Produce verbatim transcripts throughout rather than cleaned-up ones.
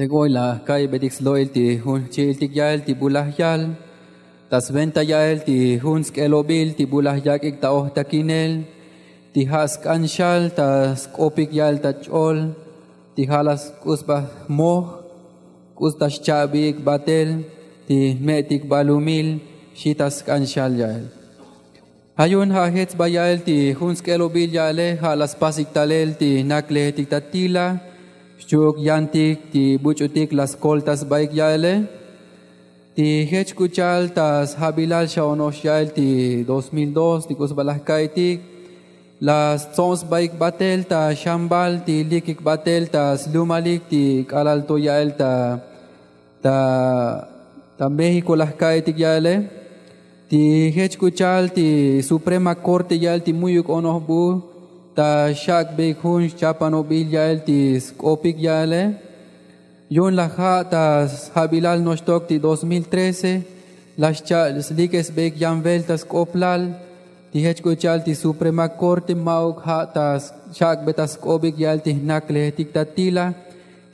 Lek oy laj ka'ibetik slo'il ti jun jchi'iltik ya'el ti bu laj yal ta sventa ya'el ti jun sk'elobil ti bu laj yak'ik ta ojtakinel ti ja' sk'an xal ta sk'opik ya'el ta ch'ol ti ja' laj sk'u sba jmoj k'u ta xcha'biik batel ti jme'tik balumil xi ta sk'an xal ya'el. Ja' yu'un ja' jech sba ya'el ti jun sk'elobil ya'ele ja' laj spasik talel ti jnaklejetik ta tila xchu'uk yantik ti buch'utik laj skolta sbaik ya'ele. Ti jech k'u cha'al ta sjabilal xa ono'ox ya'el ti dos mil dos ti k'u sba laj ka'itik laj stso'on sbaik batel ta xambal ti likik batel ta slumalik ti k'alal to ya'el ta ta ta méxiko laj ka'itik ya'ele. Ti jech k'u cha'al ti suprema korte ya'el ti mu'yuk onoj bu ta xak'beik jun xchapanobil ya'el ti sk'opik ya'ele. Yu'un laj ja' ta sjabilal noxtok ti dos mil trece laj xcha' slikesbeik yan velta sk'oplal ti jech k'u cha'al ti suprema korte ma'uk ja' ta xak'be ta sk'obik ya'el ti jnaklejetik ta tila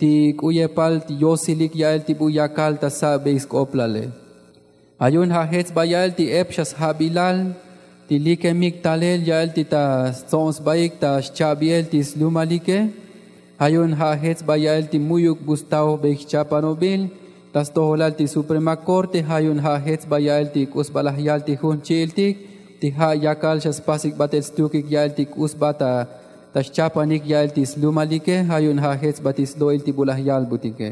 ti k'u yepal ti yosilik ya'el ti bu yakal ta sa'beik sk'oplale. Ja' yu'un ja' jech sba ya'el ti ep xa sjabilal ti likemik talel ya'el ti ta stso'on sbaik ta xcha'biel ti slumalike. Ja' yu'un ja' jech sba ya'el ti mu'yuk bu staojbeik xchapanobil ta stojolal ti suprema korte ja' yu'un ja' jech sba ya'el ti k'u sba laj yal ti jun jchi'iltik ti ja' yakal xa spasik batel stukik ya'el ti k'u sba ta xchapanik ya'el ti slumalike. Ja' yu'un ja' jech sba ti slo'il ti bu laj yalbutike.